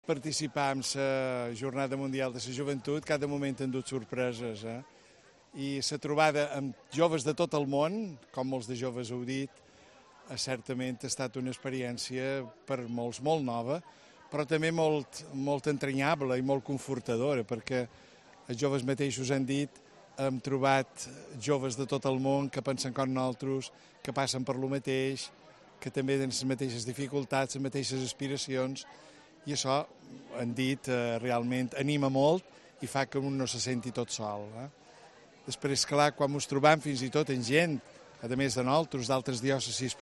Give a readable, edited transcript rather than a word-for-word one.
Participar en la Jornada Mundial de la Joventut, cada moment han dut sorpreses. I la trobada amb joves de tot el món, com molts de joves heu dit, certament ha estat una experiència per molts molt nova, però també molt entranyable i molt confortadora, perquè els joves mateixos han dit hem trobat joves de tot el món que pensen com nosaltres, que passen per lo mateix, que també tenen les mateixes dificultats, les mateixes aspiracions, i això, han dit, realment anima molt i fa que un no se senti tot sol. Després, clar, quan ens trobam fins i tot en gent, a més de nosaltres, d'altres diòcesis